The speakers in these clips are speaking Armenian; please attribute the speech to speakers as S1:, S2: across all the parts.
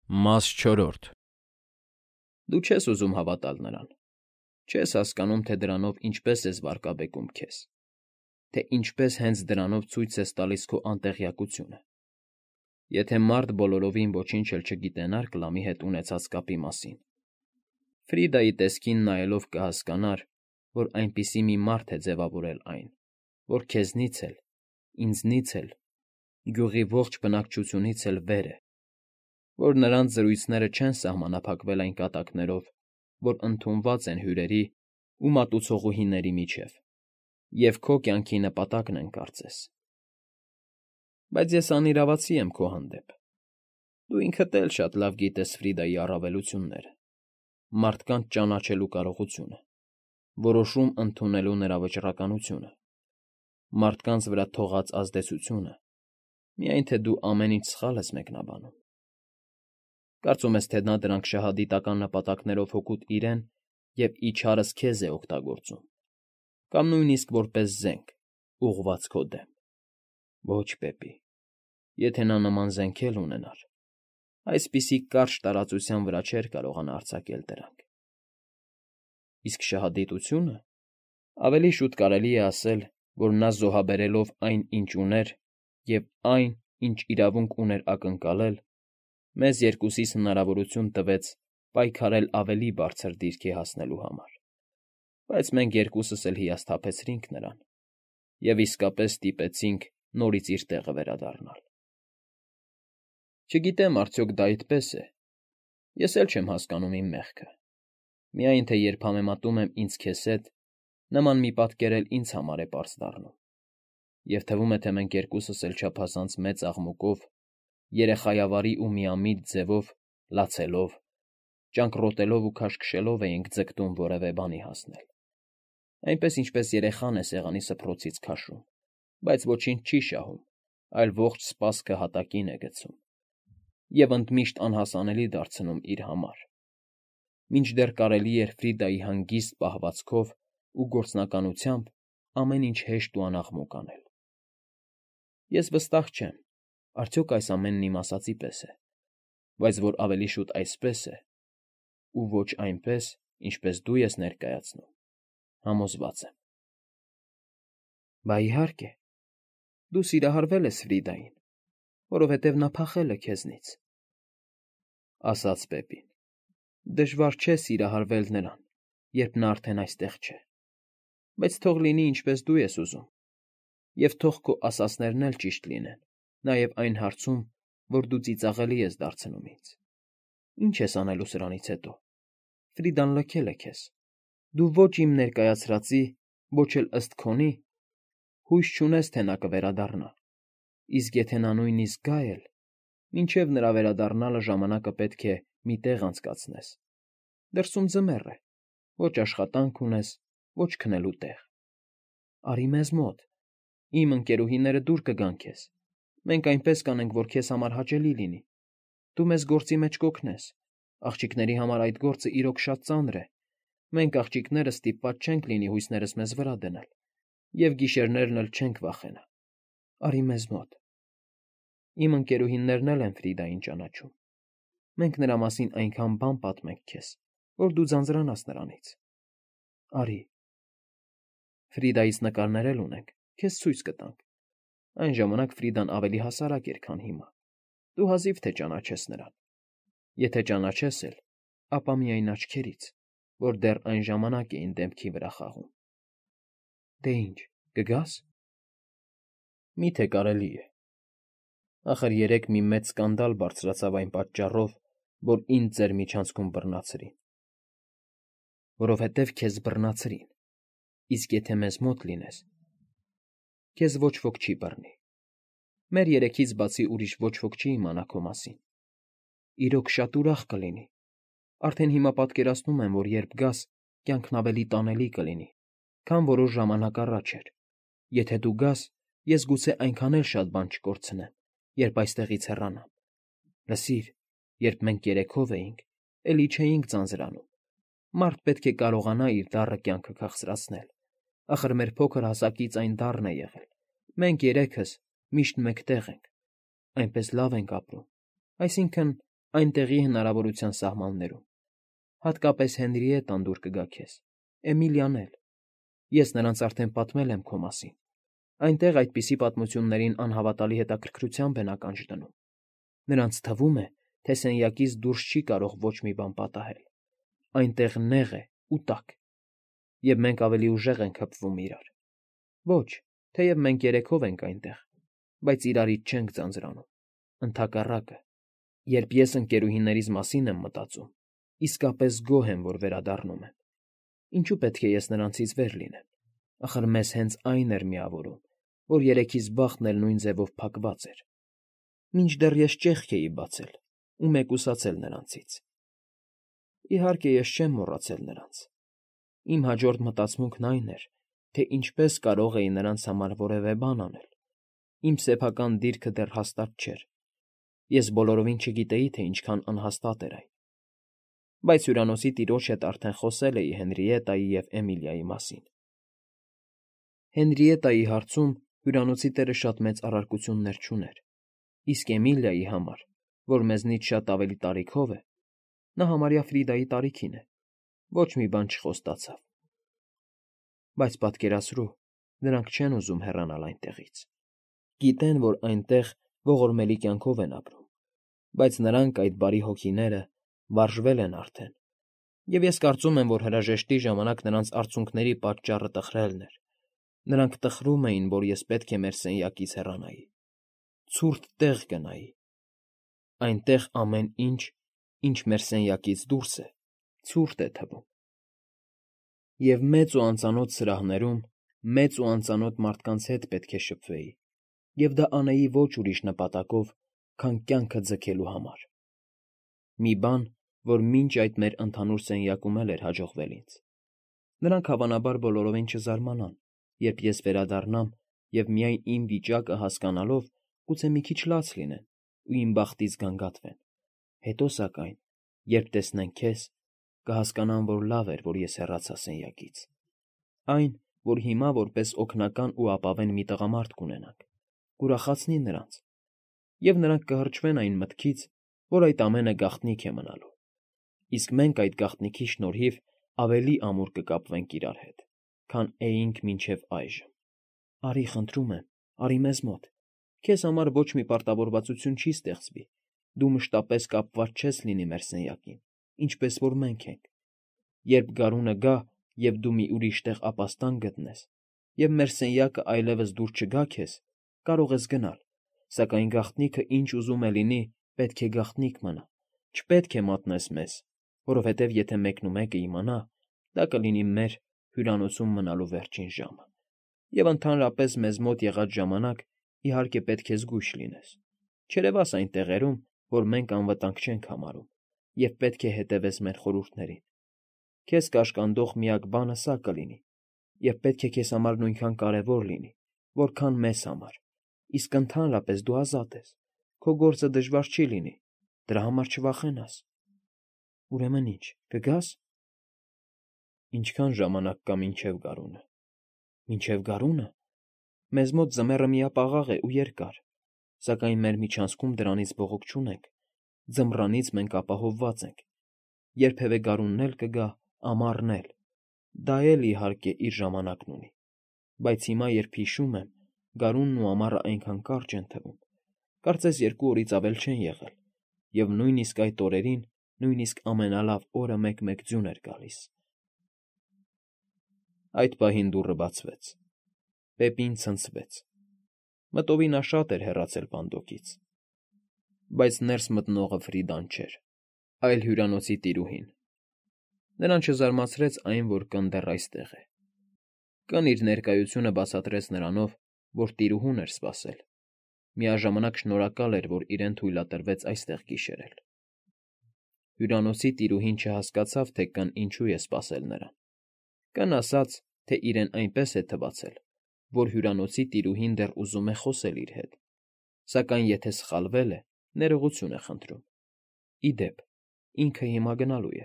S1: Մաս 4
S2: Դու չես ուզում հավատալ նրան, չես հասկանում, թե դրանով ինչպես ես վարկաբեկում քեզ, թե ինչպես հենց դրանով ցույց ես տալիս քո անտեղյակությունը, եթե մարդ բոլորովին ոչինչ էլ չգիտենար Կլամի հետ ունեցած կապի մասին, Ֆրիդայի տեսքին նայելով կհասկանար, որ այնպիսի մի մարդ է ձևավորել այն, որ քեզնից էլ, ինձնից էլ, գյուղի ողջ բնակչությունից էլ վեր է, որ նրանց զրույցները չեն սահմանափակվել այն կատակներով, որ ընդունված են հյուրերի ու մատուցողուհիների միջև, և քո կյանքի նպատակն են կարծես։ Բայց ես անիրավացի եմ քո հանդեպ։ Դու ինքդ էլ շատ լավ գիտես Ֆրիդայի առավելությունները, մարդկանց ճանաչելու կարողությունը, որոշում ընդունելու նրա վճռականությունը, մարդկանց վրա թողած ազդեցությունը, միայն թե դու ամեն ինչ սխալ ես մեկնաբանում։ Կարծում ես, թե նա դրանք շահադիտական նպատակներով հօգուտ իրեն և իչհարս քեզ է օգտագործում, կամ նույնիսկ որպես զենք, ուղղված քո դեմ։ Ոչ, Պեպի, եթե նա նման զենք էլ ունենար, այսպիսի կարճ տարածության վրա չէր կարողանա արձակել դրանք։ Իսկ շահադիտությո՞ւնը։ Ավելի շուտ կարելի է ասել, որ նա զոհաբերելով այն, ինչ ուներ, և այն, ինչ իրավունք ուներ ակնկալել, մեզ երկուսիս հնարավորություն տվեց պայքարել ավելի բարձր դիրքի հասնելու համար, բայց մենք երկուսս էլ հիասթափեցրինք նրան և իսկապես ստիպեցինք նորից իր տեղը վերադառնալ։ Չգիտեմ, արդյոք դա այդպես է։ Ես էլ չեմ հասկանում իմ մեղքը։ Միայն թե երբ համեմատում եմ ինձ քեզ հետ, նման մի պատկեր էլ ինձ համար է պարզ դառնում, և թվում է, թե մենք երկուսս էլ չափազանց մեծ աղմուկով, երեխայավարի ու միամիտ ձևով, լացելով, ճանկռոտելով ու քաշքշելով էինք ձգտում որևէ բանի հասնել, այնպես, ինչպես երեխան է սեղանի սփռոցից քաշում, բայց ոչինչ չի շահում, այլ ողջ սպասքը հատակին է գցում և ընդմիշտ անհասանելի դարձնում իր համար, մինչդեռ կարելի էր Ֆրիդայի հանգիստ պահվածքով ու գործնականությամբ ամեն ինչ հեշտ ու անաղմուկ անել։ Ես վստահ չեմ, արդյոք այս ամենն իմ ասածի պես է, բայց որ ավելի շուտ այսպես է, ու ոչ այնպես, ինչպես դու ես ներկայացնում, համոզված եմ։ Բա իհարկե, դու սիրահարվել ես Ֆրիդային, որովհետև նա փախել է քեզնից, ասաց Պեպին։ Դժվար չէ սիրահարվել նրան, երբ նա արդեն այստեղ չէ, բայց թող լինի, ինչպես դու ես ուզում, և թող քո ասածներն էլ ճիշտ լինեն, նաև այն հարցում, որ դու ծիծաղելի ես դարձնում ինձ։ Ինչ ես անելու սրանից հետո։ Ֆրիդան լքել է քեզ։ Դու ոչ իմ ներկայացրածի, ոչ էլ ըստ քոնի հույս չունես, թե նա կվերադառնա, իսկ եթե նա նույնիսկ գա էլ, մինչև նրա վերադառնալը ժամանակը պետք է մի տեղ անցկացնես։ Դրսում ձմեռ է, ոչ աշխատանք ունես, ոչ քնելու տեղ։ Արի մեզ մոտ, իմ ընկերուհիները դուր կգան քեզ։ Մենք այնպես կանենք, որ քեզ համար հաճելի լինի։ Դու մեզ գործի մեջ կօգնես։ Աղջիկների համար այդ գործը իրոք շատ ծանր է։ Մենք աղջիկները ստիպված չենք լինի հույսներս մեզ վրա դնել, և գիշերներն էլ չենք վախենա։ Արի մեզ մոտ։ Իմ ընկերուհիներն էլ են Ֆրիդային ճանաչում։ Մենք նրա մասին այնքան բան պատմենք քեզ, որ դու ձանձրանաս նրանից։ Արի։ Ֆրիդայից նկարներ էլ ունենք, քեզ ցույց կտանք։ Այն ժամանակ Ֆրիդան ավելի հասարակ էր, քան հիմա։ Դու հազիվ թե ճանաչես նրան։ Եթե ճանաչես էլ, ապա միայն աչքերից, որ դեռ այն ժամանակ էին դեմքի վրա խաղում։ Դե ինչ, կգա՞ս։ Մի՞թե կարելի է։ Ախր երեկ մի մեծ սկանդալ բարձրացավ այն պատճառով, որ ինձ ձեր միջանցքում բռնացրին։ Որովհետև քեզ բռնացրին, իսկ եթե մեզ մոտ լինես, քեզ ոչ ոք չի բռնի։ Մեր երեքից բացի ուրիշ ոչ ոք չի իմանա քո մասին։ Իրոք շատ ուրախ կլինի։ Արդեն հիմա պատկերացնում եմ, որ երբ գաս, կյանքն ավելի տանելի կլինի, քան որոշ ժամանակ առաջ էր։ Եթե դու գաս, ես գուցե այնքան էլ շատ բան չկորցնեմ, երբ այստեղից հեռանամ։ Լսիր, երբ մենք երեքով էինք, էլի չէինք ձանձրանում։ Մարդ պետք է կարողանա իր դառը կյանքը քաղցրացնել։ Ախր մեր փոքր հասակից այն դառն է եղել։ Մենք երեքս միշտ մեկտեղ ենք, այնպես լավ ենք ապրում, այսինքն՝ Այնտեղի հնարավորության սահմաններում։ Հատկապես Հենրիետան դուր կգա քեզ, Էմիլիան էլ։ Ես նրանց արդեն պատմել եմ քո մասին։ Այնտեղ այդպիսի պատմություններին անհավատալի հետաքրքրությամբ են ականջ դնում։ Նրանց թվում է, թե սենյակից դուրս չի կարող ոչ մի բան պատահել։ Այնտեղ նեղ է ու տաք, և մենք ավելի ուժեղ ենք հպվում իրար։ Ոչ, թեև մենք երեքով ենք այնտեղ, բայց իրարից չենք ձանձրանում։ Ընդհակառակը, երբ ես ընկերուհիներիս մասին եմ մտածում, իսկապես գոհ եմ, որ վերադառնում եմ։ Ինչու պետք է ես նրանցից վեր լինեմ։ Ախր մեզ հենց այն էր միավորում, որ երեքիս բախտն էլ նույն ձևով փակված էր։ Մինչդեռ ես ճեղք էի բացել ու մեկուսացել նրանցից։ Իհարկե, ես չեմ մոռացել նրանց։ Իմ հաջորդ մտածմունքն այն էր, թե ինչպես կարող էի նրանց համար որևէ բան անել։ Իմ սեփական դիրքը դեռ հաստատ չէր։ Ես բոլորովին չգիտեի, թե ինչքան անհաստատ էր այն։ Բայց հյուրանոցի տիրոջ հետ արդեն խոսել էի Հենրիետայի և Էմիլիայի մասին։ Հենրիետայի հարցում հյուրանոցի տերը շատ մեծ առարկություններ չուներ, իսկ Էմիլիայի համար, որ մեզնից շատ ավելի տարիքով է, նա համարյա Ֆրիդայի տարիքին է, ոչ մի բան չխոստացավ։ Բայց պատկերացրու, նրանք չեն ուզում հեռանալ այնտեղից։ Գիտեն, որ այնտեղ ողորմելի կյանքով են ապրում, բայց նրանք, այդ բարի հոգիները, վարժվել են արդեն, և ես կարծում եմ, որ հրաժեշտի ժամանակ նրանց արցունքների պատճառը տխրելն էր։ Նրանք տխրում էին, որ ես պետք է մեր սենյակից հեռանայի, ցուրտ տեղ գնայի։ Այնտեղ ամեն ինչ, ինչ մեր սենյակից դուրս է, ցուրտ է թվում։ Եվ մեծ ու անծանոթ սրահներում մեծ ու անծանոթ մարդկանց հետ պետք է շփվեի, և դա անեի ոչ ուրիշ նպատակով, քան կյանքը ձգելու համար։ Մի բան, որ մինչ այդ մեր ընդհանուր սենյակում էլ էր հաջողվել ինձ։ Նրանք հավանաբար բոլորովին չզարմանան, երբ ես վերադառնամ և միայն իմ վիճակը հասկանալով, գուցե մի քիչ լաց լինեն ու իմ բախտից գանգատվեն։ Հետո, սակայն, երբ տեսնեն քեզ, կհասկանան, որ լավ էր, որ ես հեռացա սենյակից։ Այն, որ հիմա որպես օգնական ու ապավեն մի տղամարդ կունենանք, կուրախացնի նրանց, և նրանք կհրճվեն այն մտքից, որ այդ ամենը գաղտնիք է մնալու, իսկ մենք այդ գաղտնիքի շնորհիվ ավելի ամուր կկապվենք իրար հետ, քան էինք մինչև այժմ։ Արի, խնդրում եմ, արի մեզ մոտ։ Քեզ համար ոչ մի պարտավորվածություն չի ստեղծվի, դու մշտապես կապված չես լինի մեր սենյակին, ինչպես որ մենք ենք։ Երբ գարունը գա, և դու մի ուրիշ տեղ ապաստան գտնես, և մեր սենյակը այլևս դուր չգա քեզ, կարող ես գնալ, սակայն գաղտնիքը ինչ ուզում է լինի, պետք է գաղտնիք մնա, չպետք է մատնես մեզ, որովհետև եթե մեկնումեկը իմանա, դա կլինի մեր հյուրանոցում մնալու վերջին ժամը, և ընդհանրապես մեզ մոտ եղած ժամանակ, իհարկե, պետք է զգույշ լինես, չերևաս այն տեղերում, որ մենք անվտանգ չենք համարում, և պետք է հետևես մեր խորհուրդներին։ Քեզ կաշկանդող միակ բանը սա կլինի, և պետք է քեզ համար նույնքան կարևոր լինի, որքան մեզ համար, իսկ ընդհանրապես դու ազատ ես, քո գործը դժվար չի լինի, դրա համար չվախենաս։ Ուրեմն ինչ, կգա՞ս։ Ինչքան ժամանակ կա մինչև գարունը։ Մինչև գարունը։ Մեզ մոտ ձմեռը միապաղաղ է ու երկար, սակայն մեր միջանցքում դրանից բողոք չունենք, ձմռանից մենք ապահովված ենք։ Երբևէ գարունն էլ կգա, ամառն էլ։ Դա էլ, իհարկե, իր ժամանակն ունի։ Բայց հիմա, երբ հիշում եմ, գարունն ու ամառը այնքան կարճ են թվում, կարծես 2 օրից ավել չեն եղել, և նույնիսկ այդ օրերին, նույնիսկ ամենալավ օրը մեկ-մեկ ձյուն էր գալիս։ Այդ պահին դուռը բացվեց։ Պեպին ցնցվեց։ Մտովի նա շատ էր հեռացել պանդոկից։ Բայց ներս մտնողը Ֆրիդան չէր, այլ հյուրանոցի տիրուհին։ Նրան չզարմացրեց այն, որ կն դեռ այստեղ է։ Կն իր ներկայությունը բացատրեց նրանով, որ տիրուհուն էր սպասել, միաժամանակ շնորհակալ էր, որ իրեն թույլատրվեց այստեղ գիշերել։ Հյուրանոցի տիրուհին չհասկացավ, թե կն ինչու է սպասել նրան։ Կն ասաց, թե իրեն այնպես է թվացել, որ հյուրանոցի տիրուհին դեռ ուզում է խոսել իր հետ, սակայն եթե սխալվել է, ներողություն է խնդրում։ Ի դեպ, ինքը հիմա գնալու է,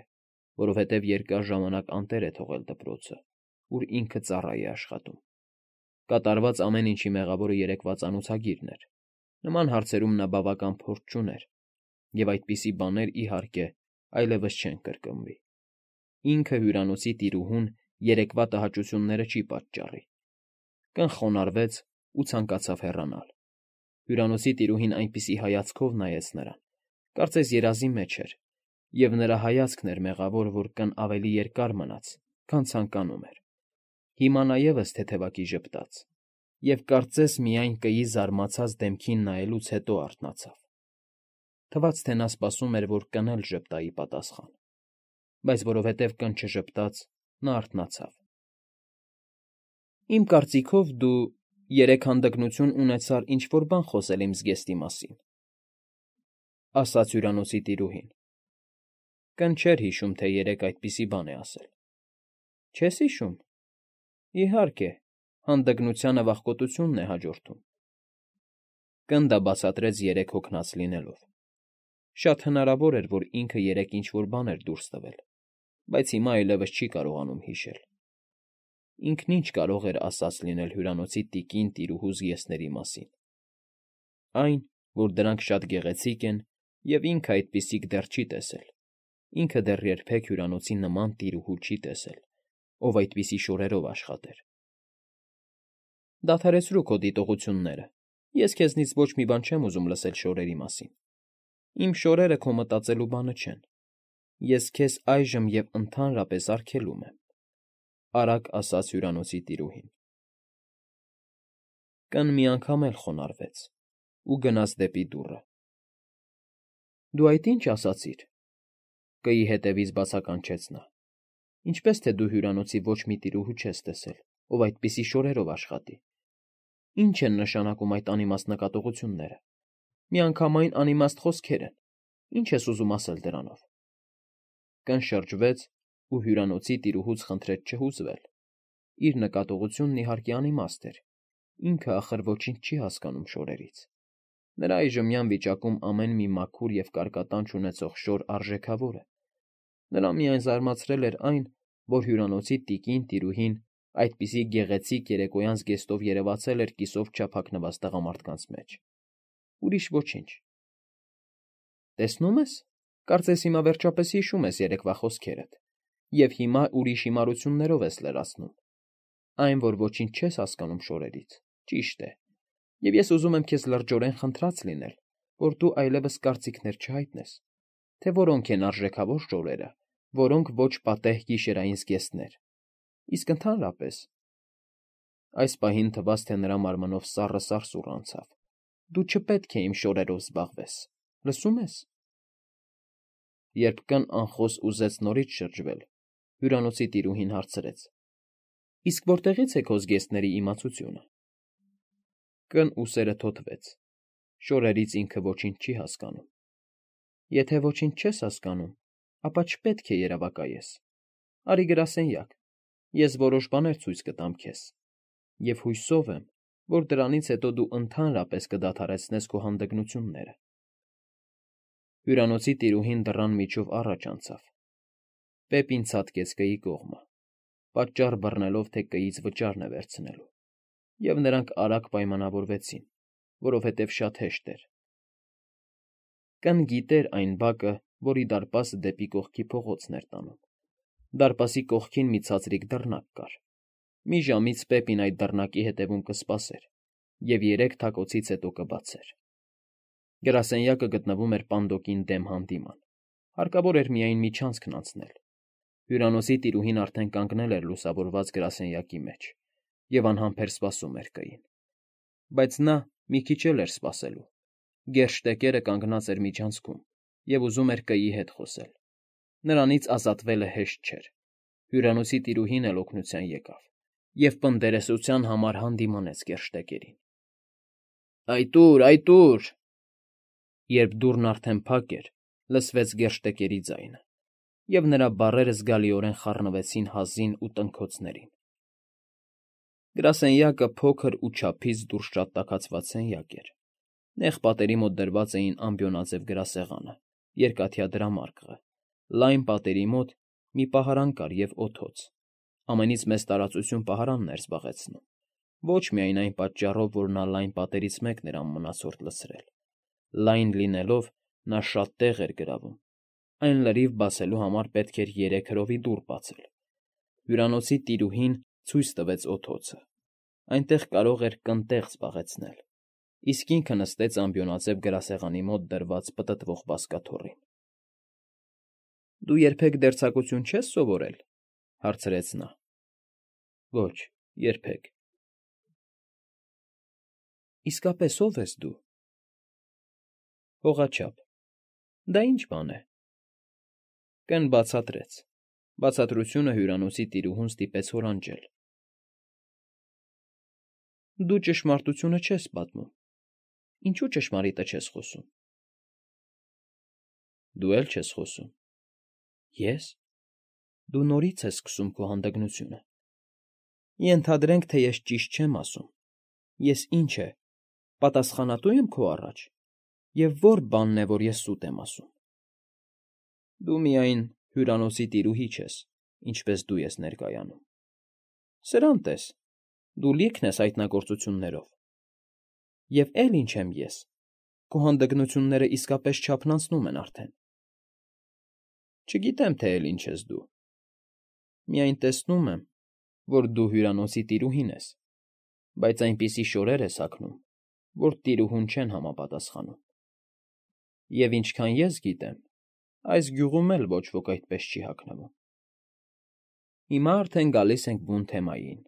S2: որովհետև երկար ժամանակ անտեր է թողել դպրոցը, ուր ինքը ծառա է աշխատում։ Կատարված ամեն ինչի մեղավորը երեկվա ծանոցագիրն էր։ Նման հարցերում նա բավական փորձ չուներ, և այդպիսի բաներ, իհարկե, այլևս չեն կրկնվի։ Ինքը հյուրանոցի տիրուհուն երեկվա տհաճությունները չի պատճառի։ Կն խոնարհվեց ու ցանկացավ հեռանալ։ Հյուրանոցի տիրուհին այնպիսի հայացքով նայեց նրան, կարծես երազի մեջ էր, և նրա հայացքն էր մեղավոր, որ կն ավելի երկար մնաց, քան ցանկանում էր։ Հիմա նա ևս թեթևակի ժպտաց և կարծես միայն կգի զարմացած դեմքին նայելուց հետո արթնացավ։ Թվաց, թե նա սպասում էր, որ կն էլ ժպտա ի պատասխան, բայց որովհետև կն չժպտաց, նա արթնացավ։ Իմ կարծիքով դու երեկ հանդգնություն ունեցար ինչ֊որ բան խոսել իմ զգեստի մասին, ասաց հյուրանոցի տիրուհին։ Կն չէր հիշում, թե երեկ այդպիսի բան է ասել։ Չես հիշում։ Իհարկե, հանդգնությանը վախկոտությունն է հաջորդում։ Կն դա բացատրեց երեկ հոգնած լինելով։ Շատ հնարավոր էր, որ ինքը երեկ ինչ֊որ բան էր դուրս տվել, բայց հիմա այլևս չի կարողանում հիշել։ Ինքն ինչ կարող էր ասած լինել հյուրանոցի տիկին տիրուհու զգեստների մասին։ Այն, որ դրանք շատ գեղեցիկ են, և ինքը այդպիսիք դեռ չի տեսել։ Ինքը դեռ երբեք հյուրանոցի նման տիրուհու չի տեսել, ով այդպիսի շորերով աշխատեր։ Դադարեցրու քո դիտողությունները։ Ես քեզնից ոչ մի բան չեմ ուզում լսել շորերի մասին։ Իմ շորերը քո մտածելու բանը չեն։ Ես քեզ այժմ և ընդհանրապես արգելում եմ,֊ արագ ասաց հյուրանոցի տիրուհին։ Կն մի անգամ էլ խոնարհվեց ու գնաց դեպի դուռը։ Դու այդ ի՞նչ ասացիր,֊ կգի հետևից բացականչեց նա։ Ինչպես թե դու հյուրանոցի ոչ մի տիրուհու չես տեսել, ով այդպիսի շորերով աշխատի։ Ինչ են նշանակում այդ անիմաստ նկատողությունները։ Միանգամայն անիմաստ խոսքեր են։ Ինչ ես ուզում ասել դրանով։ Կն շրջվեց ու հյուրանոցի տիրուհուց խնդրեց չհուզվել։ Իր նկատողությունն իհարկե անիմաստ էր։ Ինքը ախր ոչինչ չի հասկանում շորերից։ Նրա այժմյան վիճակում ամեն մի մաքուր և կարկատանչ ունեցող շոր արժեքավոր է։ Նրան միայն զարմացրել էր այն, որ հյուրանոցի տիկին տիրուհին այդպիսի գեղեցիկ երեկոյան զգեստով երևացել էր կիսով չափ հագնված տղամարդկանց մեջ։ Ուրիշ ոչինչ։ Տեսնում ես, կարծես հիմա վերջապես հիշում ես երեկվա խոսքերդ, և հիմա ուրիշ հիմարություններով ես լրացնում։ Այն, որ ոչինչ չես հասկանում շորերից, ճիշտ է, և ես ուզում եմ քեզ լրջորեն խնդրած լինել, որ դու այլևս կարծիքներ չհայտնես, թե որոնք են արժեքավոր շորերը, որոնք ոչ պատեհ գիշերային զգեստներ, իսկ ընդհանրապես… Այս պահին թվաց, թե նրա մարմնով սառը սարսուռ անցավ։ Դու չպետք է իմ շորերով զբաղվես, լսո՞ւմ ես։ Երբ կն անխոս ուզեց նորից շրջվել, հյուրանոցի տիրուհին հարցրեց. Իսկ որտեղի՞ց է քո զգեստների իմացությունը։ Կն ուսերը թոթվեց։ Շորերից ինքը ոչինչ չի հասկանում։ Եթե ոչինչ չես հասկանում, ապա չպետք է երևակայես։ Արի գրասենյակ, ես որոշ բաներ ցույց կտամ քեզ, և հուսով եմ, որ դրանից հետո դու ընդհանրապես կդադարեցնես քո հանդգնությունները։ Հյուրանոցի տիրուհին դռան միջով առաջ անցավ։ Պեպին ցատկեց կգի կողմը, պատճառ բռնելով, թե կգից վճարն է վերցնելու, և նրանք արագ պայմանավորվեցին, որովհետև շատ հեշտ էր։ Կն գիտեր այն բակը, որի դարպասը դեպի կողքի փողոցն էր տանում։ Դարպասի կողքին մի ցածրիկ դռնակ կար։ Մի ժամից Պեպին այդ դռնակի հետևում կսպասեր և 3 թակոցից հետո կբացեր։ Գրասենյակը գտնվում էր պանդոկին դեմ հանդիման։ Հարկավոր էր միայն մի չանցքն անցնել։ Հյուրանոցի տիրուհին արդեն կանգնել էր լուսավորված գրասենյակի մեջ և անհամբեր սպասում էր կգին։ Բայց նա մի քիչ էլ էր սպասելու։ Գերշտեկերը կանգնած էր միջանցքում և ուզում էր կգի հետ խոսել։ Նրանից ազատվելը հեշտ չէր։ Հյուրանոցի տիրուհին էլ օգնության եկավ և պնդերեսության համար հանդիմանեց գերշտեկերին։ Այդ ո՞ւր, այդ ո՞ւր… Երբ դուռն արդեն փակ էր, լսվեց գերշտեկերի ձայնը, և նրա բառերը զգալիորեն խառնվեցին հազին ու տնքոցներին։ Գրասենյակը փոքր ու չափից դուրս շատ տաքացված սենյակ էր։ Նեղ պատերի մոտ դրված էին ամբիոնաձև գրասեղանը, երկաթյա դրամարկղը, լայն պատերի մոտ մի պահարան կար և օդոց։ Ամենից մեծ տարածություն պահարանն էր զբաղեցնում, ոչ միայն այն պատճառով, որ նա լայն պատերից մեկն էր անմնացորդ լցրել։ Լայն լինելով, Նա շատ տեղ էր գրավում։ Այն լրիվ բացելու համար պետք էր 3 հրովի դուռ բացել։ Հյուրանոցի տիրուհին ցույց տվեց օդոցը։ Այնտեղ կարող էր կնտեղ զբաղեցնել, իսկ ինքը նստեց ամբիոնաձև գրասեղանի մոտ դրված պտտվող բազկաթոռին։ Դու երբեք դերձակություն չես սովորել, հարցրեց նա։ Ոչ, երբեք։ Իսկապես ով ես դու։ Հողաչափ։ Դա ինչ բան է։ Կն բացատրեց։ Բացատրությունը հյուրանոցի տիրուհուն ստիպեց հորանջել։ Դու ճշմարտությունը չես պատմում։ Ինչու ճշմարիտը չես խոսում։ Դու էլ չես խոսում։ Ես։ Դու նորից ես սկսում քո հանդգնությունը։ Ենթադրենք, թե ես ճիշտ չեմ ասում։ Ես ինչ է, պատասխանատու եմ քո առաջ, և ո՞ր բանն է, որ ես սուտ եմ ասում։ Դու միայն հյուրանոցի տիրուհի չես, ինչպես դու ես ներկայանում։ Սրան տես, դու լիքն ես հայտնագործություններով։ Եվ էլ ինչ եմ ես, քո հանդգնությունները իսկապես չափն անցնում են արդեն։ Չգիտեմ, թե էլ ինչ ես դու։ Միայն տեսնում եմ, որ դու հյուրանոցի տիրուհին ես, բայց այնպիսի շորեր ես հագնում, որ տիրուհուն չեն համապատասխանում։ Եվ ինչքան ես գիտեմ, այս գյուղում էլ ոչ ոք այդպես չի հագնվում։ Հիմա արդեն գալիս ենք բուն թեմային։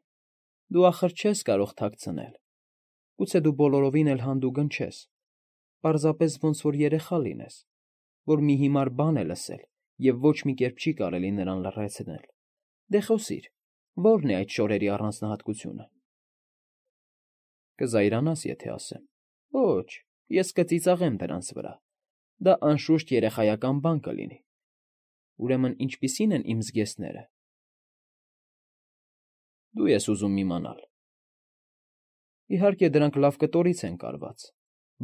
S2: Դու ախր չես կարող թաքցնել։ Գուցե դու բոլորովին էլ հանդուգն չես, պարզապես ոնց որ երեխա լինես, որ մի հիմար բան է լսել և ոչ մի կերպ չի կարելի նրան լռեցնել։ Դե խոսիր, ո՞րն է այդ շորերի առանձնահատկությունը։ Կզայրանաս, եթե ասեմ։ Ոչ, ես կծիծաղեմ դրանց վրա։ Դա անշուշտ երեխայական բան կլինի։ Ուրեմն ինչպիսի՞ն են իմ զգեստները։ Դու ես ուզում իմանալ։ Իհարկե, դրանք լավ կտորից են կարված,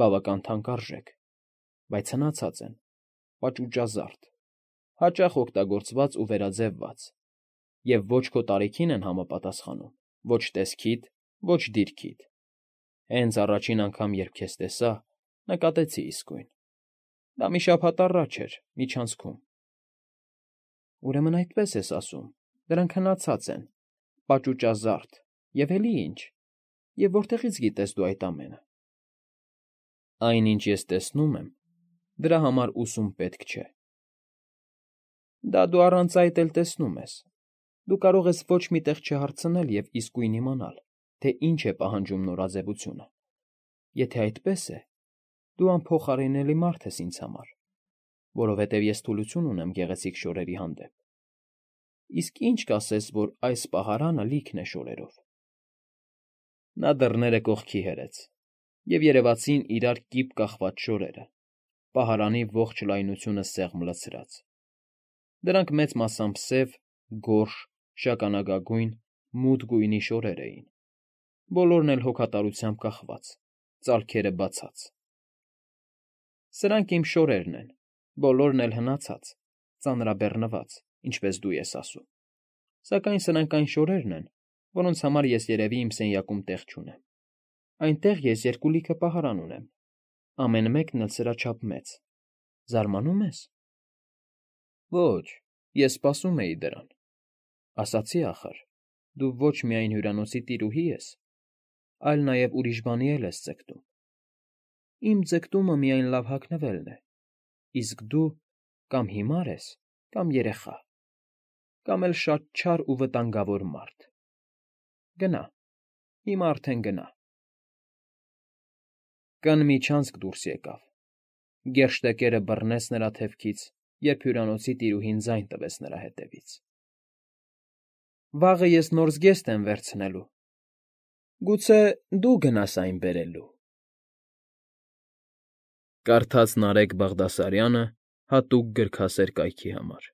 S2: բավական թանկարժեք, բայց հնացած են, պաճուճազարդ, հաճախ օգտագործված ու վերաձևված, և ոչ քո տարիքին են համապատասխանում, ոչ տեսքիդ, ոչ դիրքիդ։ Հենց առաջին անգամ, երբ քեզ տեսա, նկատեցի իսկույն։ Դա մի շաբաթ առաջ էր, միջանցքում։ Ուրեմն այդպես ես ասում, դրանք հնացած են, պաճուճազարդ, և էլի ինչ, և որտեղից գիտես դու այդ ամենը։ Այն, ինչ ես տեսնում եմ, դրա համար ուսում պետք չէ։ Դա դու առանց այդ էլ տեսնում ես։ Դու կարող ես ոչ մի տեղ չհարցնել և իսկույն իմանալ, թե ինչ է պահանջում նորաձևությունը։ Եթե այդպես է, դու անփոխարինելի մարդ ես ինձ համար, որովհետև ես թուլություն ունեմ գեղեցիկ շորերի հանդեպ։ Իսկ ինչ կասես, որ այս պահարանը լիքն է շորերով։ Նա դռները կողքի հրեց, և երևացին իրար կիպ կախված շորերը, պահարանի ողջ լայնությունը սեղմ լցրած։ Դրանք մեծ մասամբ սև, գորշ, շագանակագույն, մութ գույնի շորեր էին, բոլորն էլ հոգատարությամբ կախված, ծալքերը բացած։ Սրանք իմ շորերն են, բոլորն էլ հնացած, ծանրաբեռնված, ինչպես դու ես ասում։ Սակայն սրանք այն շորերն են, որոնց համար ես երևի իմ սենյակում տեղ չունեմ։ Այնտեղ ես երկու լիքը պահարան ունեմ, ամեն մեկն էլ սրա չափ մեծ։ Զարմանում ես։ Ոչ, ես սպասում էի դրան։ Ասացի ախր, դու ոչ միայն հյուրանոցի տիրուհի ես, այլ նաև ուրիշ բանի էլ ես ձգտում։ Իմ ձգտումը միայն լավ հագնվելն է, իսկ դու կամ հիմար ես, կամ երեխա, կամ էլ շատ չար ու վտանգավոր մարդ։ Գնա, հիմա արդեն գնա։ Կն միջանցք դուրս եկավ։ Գերշտեկերը բռնեց նրա թևքից, երբ հյուրանոցի տիրուհին ձայն տվեց նրա հետևից։ Վաղը ես նոր զգեստ եմ վերցնելու։ Գուցե դու գնաս այն բերելու։ Կարդաց Նարեկ Բաղդասարյանը հատուկ գրքասեր կայքի համար։